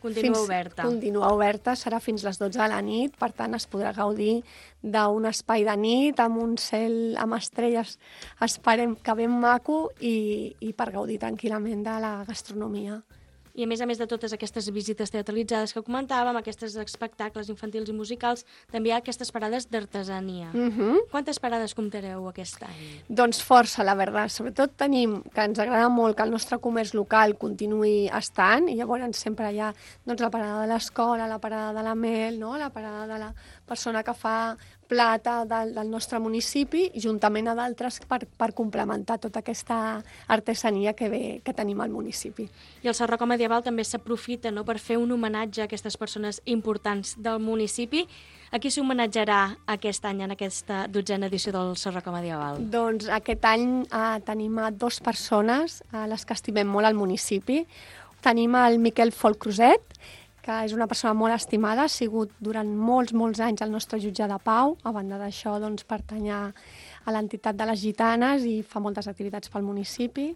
Continua fins, oberta. Continua oberta, serà fins les dotze de la nit, per tant, es podrà gaudir d'un espai de nit, amb un cel amb estrelles, esperem que ben maco, i, i per gaudir tranquil·lament de la gastronomia. I a més a més de totes aquestes visites teatralitzades que comentàvem, aquests espectacles infantils i musicals, també hi ha aquestes parades d'artesania. Uh -huh. Quantes parades comptareu aquest any? Doncs força, la veritat. Sobretot tenim que ens agrada molt que el nostre comerç local continuï estant, i llavors sempre hi ha doncs, la parada de l'escola, la parada de la mel, no? La parada de la persona que fa plata del, del nostre municipi, juntament a d'altres per, per complementar tota aquesta artesania que, ve, que tenim al municipi. I el Sarroca Medieval també s'aprofita, no?, per fer un homenatge a aquestes persones importants del municipi. A qui s'homenatjarà aquest any en aquesta dotzena edició del Sarroca Medieval? Doncs aquest any eh, tenim a dues persones, a les que estimem molt al municipi. Tenim el Miquel Folcroset, que és una persona molt estimada, ha sigut durant molts, molts anys el nostre jutge de pau. A banda d'això, doncs, pertany a l'entitat de les gitanes i fa moltes activitats pel municipi.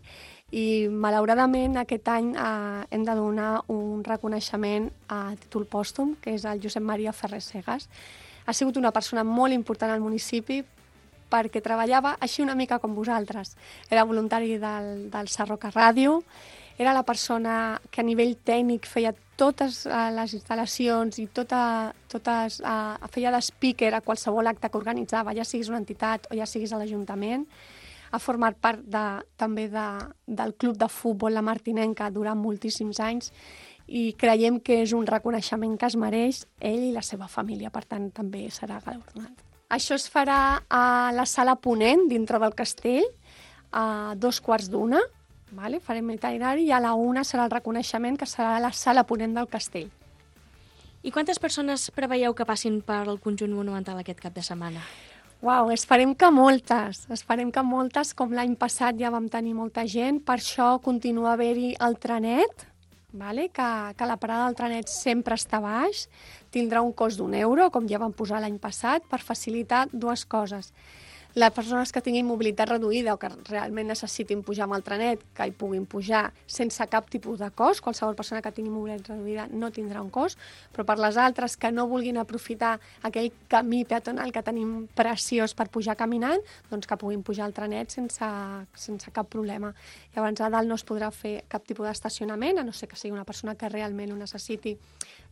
I, malauradament, aquest any eh, hem de donar un reconeixement a títol pòstum, que és el Josep Maria Ferrer Segas. Ha sigut una persona molt important al municipi perquè treballava així una mica com vosaltres. Era voluntari del, del Sarroca Ràdio, era la persona que a nivell tècnic feia totes uh, les instal·lacions i tota, totes, uh, feia d'espeaker a qualsevol acte que organitzava, ja siguis una entitat o ja siguis a l'Ajuntament. Ha format part de, també de, del club de futbol La Martinenca durant moltíssims anys i creiem que és un reconeixement que es mereix ell i la seva família, per tant també serà galardonat. Això es farà a la sala Ponent, dintre del castell, a dos quarts d'una. Vale? Farem itinerari i a la una serà el reconeixement, que serà a la sala Ponent del castell. I quantes persones preveieu que passin per el conjunt monumental aquest cap de setmana? Uau, esperem que moltes, esperem que moltes, com l'any passat ja vam tenir molta gent, per això continua haver-hi el trenet, vale? que, que la parada del trenet sempre està baix, tindrà un cost d'un euro, com ja vam posar l'any passat, per facilitar dues coses. Les persones que tinguin mobilitat reduïda o que realment necessitin pujar amb el trenet, que hi puguin pujar sense cap tipus de cost. Qualsevol persona que tingui mobilitat reduïda no tindrà un cost, però per les altres que no vulguin aprofitar aquell camí peatonal que tenim preciós per pujar caminant, doncs que puguin pujar al trenet sense, sense cap problema. Llavors a dalt no es podrà fer cap tipus d'estacionament, a no ser que sigui una persona que realment ho necessiti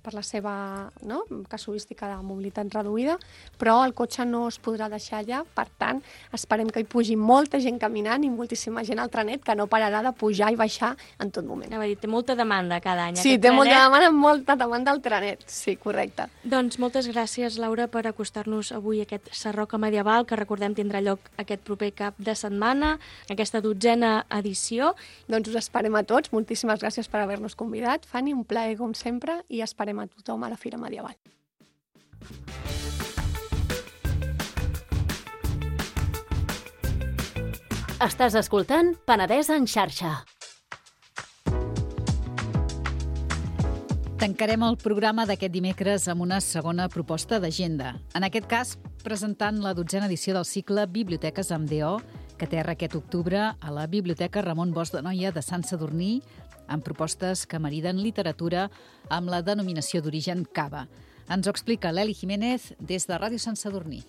per la seva, no?, casuística de mobilitat reduïda, però el cotxe no es podrà deixar allà. Per tant, esperem que hi pugi molta gent caminant i moltíssima gent al trenet, que no pararà de pujar i baixar en tot moment. Anava a dir, té molta demanda cada any. Sí, té trenet. molta demanda, molta demanda al trenet. Sí, correcte. Doncs moltes gràcies, Laura, per acostar-nos avui a aquest Sarroca Medieval, que recordem tindrà lloc aquest proper cap de setmana, aquesta dotzena edició. Doncs us esperem a tots. Moltíssimes gràcies per haver-nos convidat. Fanny, un plaer com sempre, i esperem a tothom a la Fira Medieval. Estàs escoltant Penedès en xarxa. Tancarem el programa d'aquest dimecres amb una segona proposta d'agenda. En aquest cas, presentant la dotzena edició del cicle Biblioteques amb D O, que aterra aquest octubre a la Biblioteca Ramon Bosch de Noia de Sant Sadurní, amb propostes que mariden literatura amb la denominació d'origen cava. Ens ho explica l'Eli Jiménez des de Ràdio Sant Sadurní.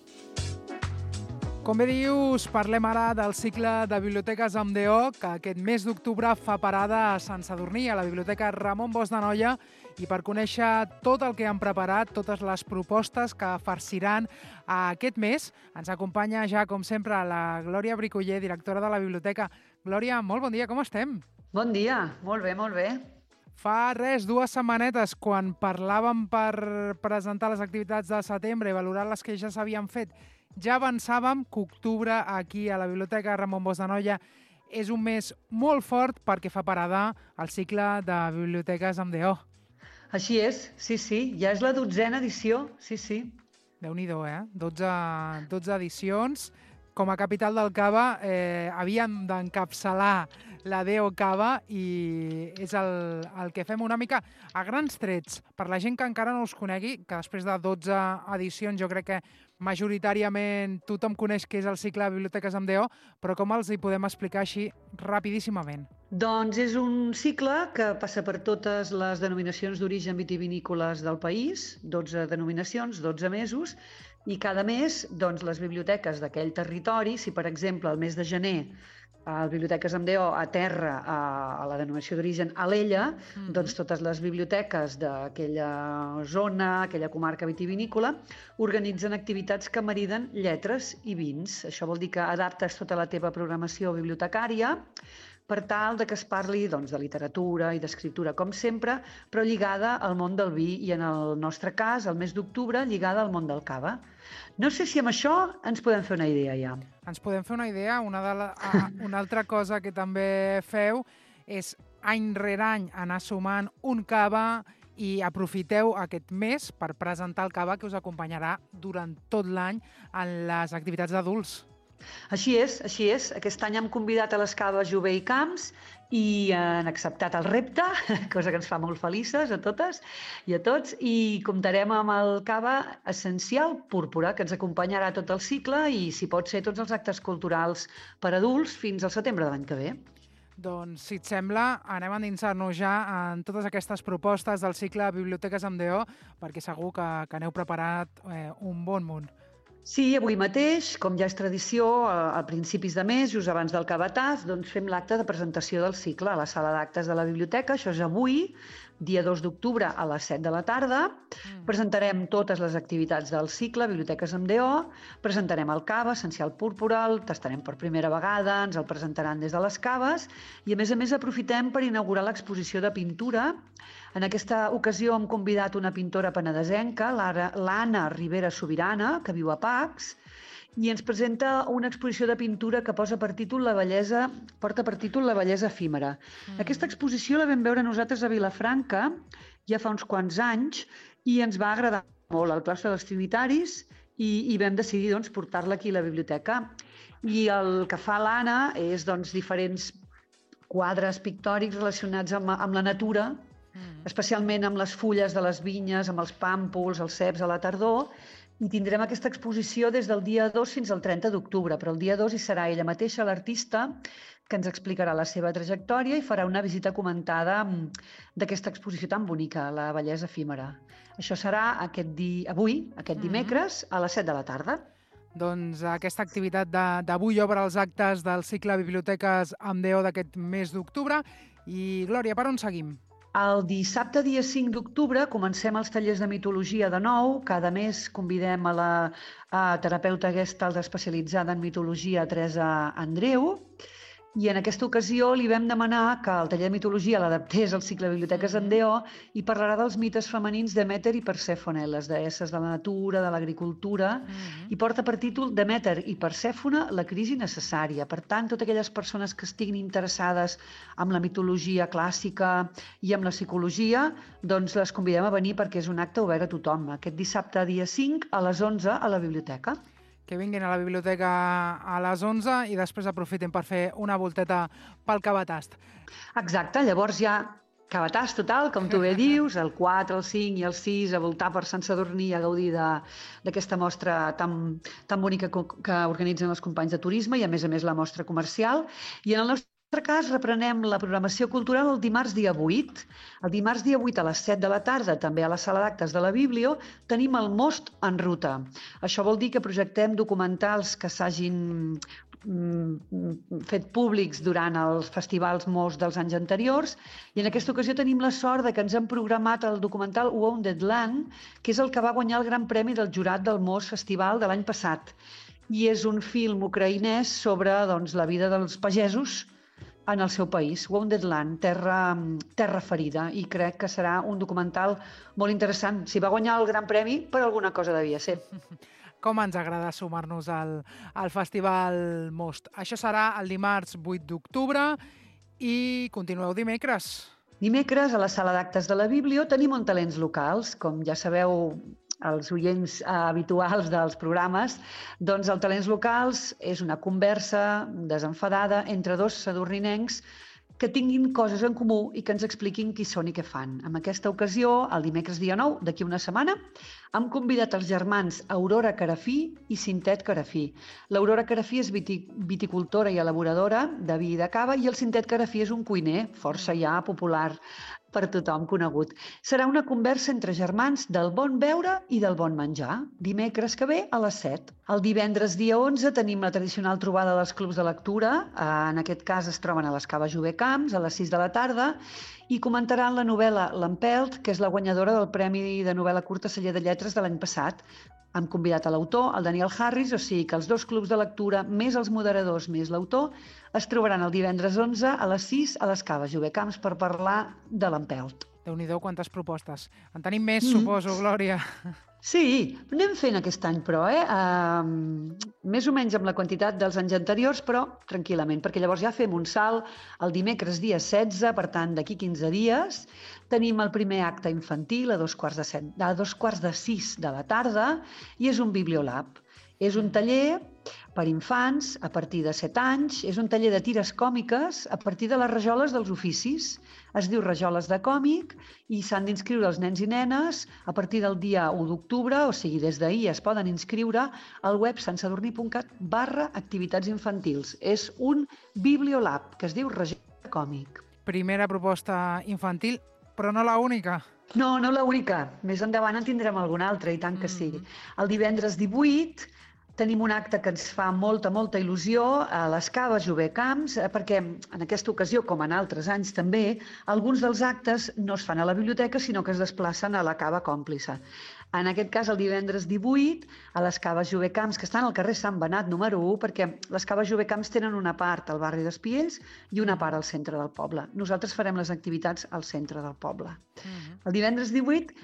Com bé dius, parlem ara del cicle de biblioteques amb D O, que aquest mes d'octubre fa parada a Sant Sadurní, a la Biblioteca Ramon Bosch d'Anoia, i per conèixer tot el que han preparat, totes les propostes que farciran aquest mes, ens acompanya ja, com sempre, la Glòria Bricoller, directora de la biblioteca. Glòria, molt bon dia, com estem? Bon dia, molt bé, molt bé. Fa res, dues setmanetes, quan parlàvem per presentar les activitats de setembre i valorar les que ja s'havien fet, ja avançàvem que octubre aquí a la Biblioteca Ramon Bosch d'Anoia és un mes molt fort perquè fa parada el cicle de biblioteques amb D O. Així és, sí, sí, ja és la dotzena edició, sí, sí. Déu-n'hi-do, eh? dotze, dotze edicions. Com a capital del cava eh, havíem d'encapçalar la D O Cava i és el, el que fem una mica a grans trets. Per la gent que encara no us conegui, que després de dotze edicions jo crec que majoritàriament tothom coneix què és el cicle de biblioteques amb D O, però com els hi podem explicar així rapidíssimament? Doncs és un cicle que passa per totes les denominacions d'origen vitivinícoles del país, dotze denominacions, dotze mesos, i cada mes doncs, les biblioteques d'aquell territori, si per exemple el mes de gener a Biblioteques amb D O aterra a, a la denominació d'origen Alella, mm. doncs totes les biblioteques d'aquella zona, aquella comarca vitivinícola, organitzen activitats que mariden lletres i vins. Això vol dir que adaptes tota la teva programació bibliotecària per tal de que es parli doncs, de literatura i d'escriptura, com sempre, però lligada al món del vi i, en el nostre cas, el mes d'octubre, lligada al món del cava. No sé si amb això ens podem fer una idea ja. Ens podem fer una idea. Una, de la, a, una altra cosa que també feu és any rere any anar sumant un cava i aprofiteu aquest mes per presentar el cava que us acompanyarà durant tot l'any en les activitats d'adults. Així és, així és. Aquest any hem convidat a les caves Jové i Camps i han acceptat el repte, cosa que ens fa molt felices a totes i a tots, i comptarem amb el cava essencial Púrpura, que ens acompanyarà tot el cicle i, si pot ser, tots els actes culturals per adults fins al setembre de l'any que ve. Doncs, si et sembla, anem a endinsar-nos ja en totes aquestes propostes del cicle Biblioteques amb D O, perquè segur que, que n'heu preparat eh, un bon munt. Sí, avui mateix, com ja és tradició, a principis de mes, just abans del cavatàs, doncs fem l'acte de presentació del cicle a la sala d'actes de la biblioteca. Això és avui, dia dos d'octubre, a les set de la tarda. Mm. Presentarem totes les activitats del cicle, Biblioteques amb D O, presentarem el cava, essencial Púrpura, el tastarem per primera vegada, ens el presentaran des de les caves i, a més a més, aprofitem per inaugurar l'exposició de pintura. En aquesta ocasió hem convidat una pintora penedesenca, l'Anna Rivera Sobirana, que viu a Pacs, i ens presenta una exposició de pintura que posa per títol la bellesa, porta per títol La bellesa efímera. Mm. Aquesta exposició la vam veure nosaltres a Vilafranca ja fa uns quants anys i ens va agradar molt al claustre dels Trinitaris i, i vam decidir doncs, portar-la aquí a la biblioteca. I el que fa l'Anna és doncs, diferents quadres pictòrics relacionats amb, amb la natura, especialment amb les fulles de les vinyes, amb els pàmpols, els ceps a la tardor, i tindrem aquesta exposició des del dia dos fins al trenta d'octubre, però el dia dos hi serà ella mateixa, l'artista, que ens explicarà la seva trajectòria i farà una visita comentada d'aquesta exposició tan bonica, La bellesa efímera. Això serà aquest di... avui, aquest dimecres, a les set de la tarda. Doncs aquesta activitat d'avui obre els actes del cicle Biblioteques amb D O d'aquest mes d'octubre. I, Glòria, per on seguim? El dissabte, dia cinc d'octubre, comencem els tallers de mitologia de nou. Cada mes convidem a la a terapeuta gestalt especialitzada en mitologia, Teresa Andreu, i en aquesta ocasió li vam demanar que el taller de mitologia l'adaptés al cicle Biblioteques amb D O i parlarà dels mites femenins Demeter i Persèfone, les deesses de la natura, de l'agricultura, mm-hmm. i porta per títol Demeter i Persèfone, la crisi necessària. Per tant, totes aquelles persones que estiguin interessades en la mitologia clàssica i en la psicologia, doncs les convidem a venir perquè és un acte obert a tothom. Aquest dissabte, dia cinc, a les onze, a la biblioteca. Que vinguin a la biblioteca a les onze i després aprofiten per fer una volteta pel cavatast. Exacte, llavors ja cavatast total, com tu bé dius, el quatre, el cinc i el sis, a voltar per Sant Sadurní a gaudir d'aquesta mostra tan, tan bonica que organitzen els companys de turisme i, a més a més, la mostra comercial. I en el nostre En el nostre cas, reprenem la programació cultural el dimarts dia vuit. El dimarts dia vuit a les set de la tarda, també a la sala d'actes de la Biblio, tenim el Most en ruta. Això vol dir que projectem documentals que s'hagin fet públics durant els festivals Most dels anys anteriors, i en aquesta ocasió tenim la sort de que ens han programat el documental Wounded Land, que és el que va guanyar el Gran Premi del jurat del Most Festival de l'any passat. I és un film ucraïnès sobre doncs, la vida dels pagesos en el seu país, Wounded Land, terra, terra ferida, i crec que serà un documental molt interessant. Si va guanyar el Gran Premi, per alguna cosa devia ser. Com ens agrada sumar-nos al, al Festival Most. Això serà el dimarts vuit d'octubre i continueu dimecres. Dimecres, a la sala d'actes de la Biblio, tenim un talents locals. Com ja sabeu, els oients habituals dels programes, doncs el Talents Locals és una conversa desenfadada entre dos sadurninencs que tinguin coses en comú i que ens expliquin qui són i què fan. En aquesta ocasió, el dimecres dia nou, d'aquí una setmana, hem convidat els germans Aurora Carafí i Cintet Carafí. L'Aurora Carafí és viticultora i elaboradora de vi i de cava, i el Cintet Carafí és un cuiner força ja popular per tothom conegut. Serà una conversa entre germans del bon beure i del bon menjar, dimecres que ve a les set. El divendres dia onze tenim la tradicional trobada dels clubs de lectura. En aquest cas es troben a les Caves Jové Camps a les sis de la tarda i comentaran la novel·la L'Empelt, que és la guanyadora del Premi de Novel·la Curta Celler de Lletres de l'any passat. Hem convidat a l'autor, el Daniel Harris, o sigui que els dos clubs de lectura, més els moderadors, més l'autor, es trobaran el divendres onze a les sis a les Caves Jové Camps per parlar de l'Empelt. Déu-n'hi-do, quantes propostes. En tenim més, mm. suposo, Glòria. Sí, anem fent aquest any, però, eh? Uh, més o menys amb la quantitat dels anys anteriors, però tranquil·lament, perquè llavors ja fem un salt el dimecres dia setze, per tant, d'aquí quinze dies. Tenim el primer acte infantil a dos quarts de, set, a dos quarts de sis de la tarda i és un Bibliolab. És un taller per infants a partir de set anys, és un taller de tires còmiques a partir de les rajoles dels oficis. Es diu Rajoles de còmic i s'han d'inscriure els nens i nenes a partir del dia u d'octubre, o sigui, des d'ahir es poden inscriure al web santsadurní.cat barra activitats infantils. És un Bibliolab que es diu Rajoles de còmic. Primera proposta infantil, però no la única. No, no l'única. Més endavant en tindrem alguna altra, i tant que sí. El divendres divuit tenim un acte que ens fa molta, molta il·lusió a les Caves Jové Camps, perquè en aquesta ocasió, com en altres anys també, alguns dels actes no es fan a la biblioteca, sinó que es desplacen a la Cava Còmplice. En aquest cas, el divendres divuit, a les Caves Jové Camps, que estan al carrer Sant Benat número u, perquè les Caves Jové Camps tenen una part al barri d'Espiells i una part al centre del poble. Nosaltres farem les activitats al centre del poble. El divendres divuit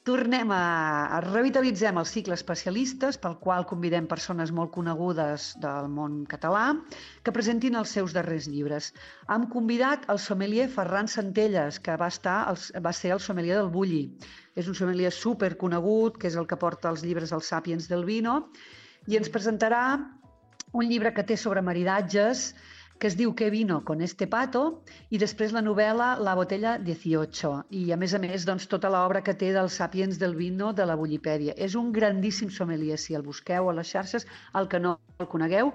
tornem a, a revitalitzem el cicle especialistes, pel qual convidem persones molt conegudes del món català que presentin els seus darrers llibres. Hem convidat el sommelier Ferran Centelles, que va, estar, va ser el sommelier del Bulli. És un sommelier superconegut, que és el que porta els llibres dels Sapiens del Vino, i ens presentarà un llibre que té sobre maridatges, que es diu Qué vino con este pato, i després la novel·la La botella dieciocho, i a més a més doncs, tota l'obra que té dels Sapiens del Vino de la Bullipèdia. És un grandíssim sommelier, si el busqueu a les xarxes, el que no el conegueu,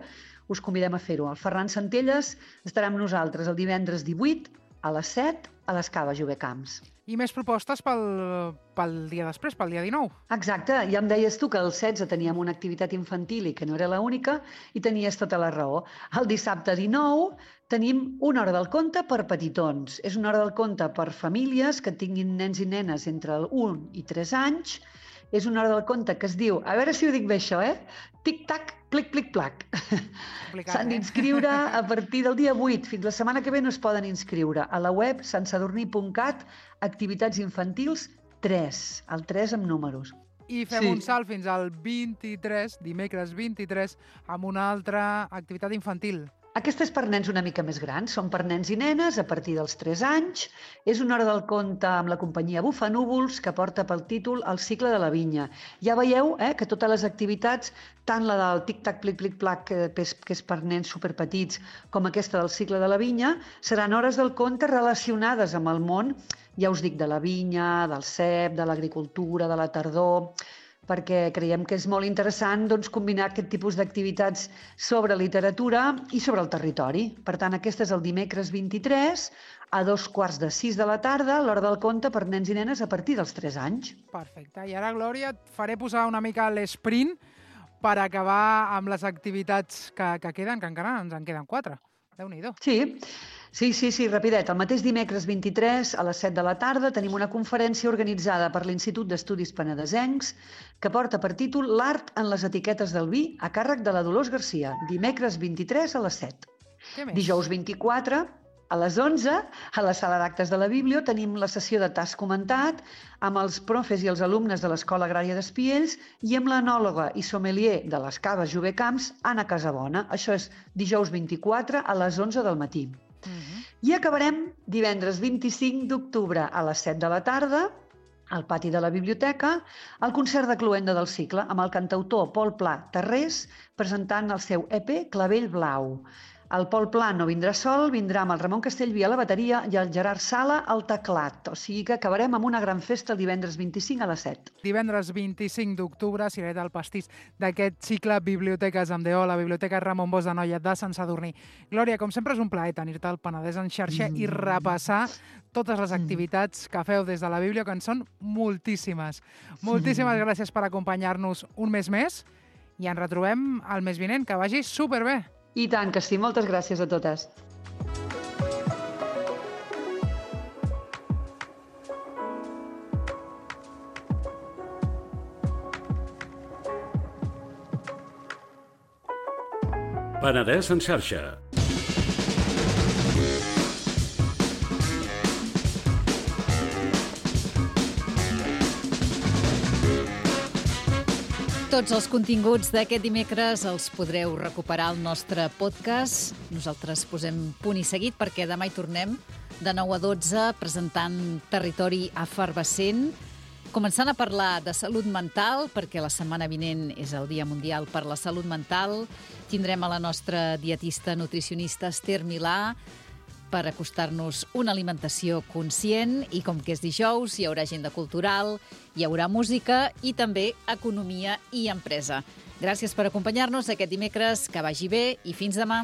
us convidem a fer-ho. El Ferran Centelles estarà amb nosaltres el divendres divuit a les set a les Caves Jové Camps. I més propostes pel, pel dia després, pel dia dinou. Exacte, ja em deies tu que el setze teníem una activitat infantil i que no era l'única, i tenies tota la raó. El dissabte dinou tenim una hora del conte per petitons. És una hora del conte per famílies que tinguin nens i nenes entre un i tres anys. És una hora del conte que es diu, a veure si ho dic bé això, eh? Tic-tac, plic-plic-plac. S'han d'inscriure a partir del dia vuit. Fins la setmana que ve no es poden inscriure. A la web santsadurní.cat, activitats infantils tres, el tres amb números. I fem sí. un salt fins al vint-i-tres, dimecres vint-i-tres, amb una altra activitat infantil. Aquesta és per nens una mica més grans, són per nens i nenes a partir dels tres anys. És una hora del conte amb la companyia Bufanúvols, que porta pel títol El cicle de la vinya. Ja veieu eh, que totes les activitats, tant la del tic-tac, plic-plic-plac, que és per nens superpetits, com aquesta del cicle de la vinya, seran hores del conte relacionades amb el món, ja us dic, de la vinya, del cep, de l'agricultura, de la tardor. perquè creiem que és molt interessant doncs, combinar aquest tipus d'activitats sobre literatura i sobre el territori. Per tant, aquest és el dimecres vint-i-tres, a dos quarts de sis de la tarda, l'hora del conte per nens i nenes a partir dels tres anys. Perfecte. I ara, Glòria, et faré posar una mica l'esprint per acabar amb les activitats que, que queden, que encara ens en queden quatre. Déu-n'hi-do. Sí, sí, sí, sí, rapidet. El mateix dimecres vint-i-tres a les set de la tarda tenim una conferència organitzada per l'Institut d'Estudis Penedesencs que porta per títol L'art en les etiquetes del vi a càrrec de la Dolors Garcia. Dimecres vint-i-tres a les set. Dijous vint-i-quatre a les onze, a la sala d'actes de la Biblio, tenim la sessió de T'has comentat amb els profes i els alumnes de l'Escola Agrària d'Espiells i amb l'anòloga i sommelier de les Caves Jové Camps, Anna Casabona. Això és dijous vint-i-quatre a les onze del matí. Uh-huh. I acabarem divendres vint-i-cinc d'octubre a les set de la tarda al pati de la biblioteca, el concert de cloenda del cicle amb el cantautor Pol Pla Tarrés presentant el seu E P Clavell Blau. El Pol Pla no vindrà sol, vindrà amb el Ramon Castellví a la bateria i el Gerard Sala al teclat. O sigui que acabarem amb una gran festa el divendres vint-i-cinc a les set. Divendres vint-i-cinc d'octubre, Cirereta del Pastís d'aquest cicle Biblioteques amb D O, la Biblioteca Ramon Bosch de Noia de Sant Sadurní. Glòria, com sempre és un plaer tenir-te al Penedès en xarxa mm. i repassar totes les activitats que feu des de la Biblio, que en són moltíssimes. Moltíssimes mm. gràcies per acompanyar-nos un mes més i ens retrobem el mes vinent. Que vagi superbé! I tant que sí, moltes gràcies a totes. Penedès en xarxa. Tots els continguts d'aquest dimecres els podreu recuperar al nostre podcast. Nosaltres posem punt i seguit perquè demà hi tornem de nou a dotze presentant Territori Efervescent, començant a parlar de salut mental, perquè la setmana vinent és el Dia Mundial per la Salut Mental. Tindrem a la nostra dietista nutricionista Esther Milà per acostar-nos una alimentació conscient i com que és dijous hi haurà agenda cultural, hi haurà música i també economia i empresa. Gràcies per acompanyar-nos aquest dimecres, que vagi bé i fins demà.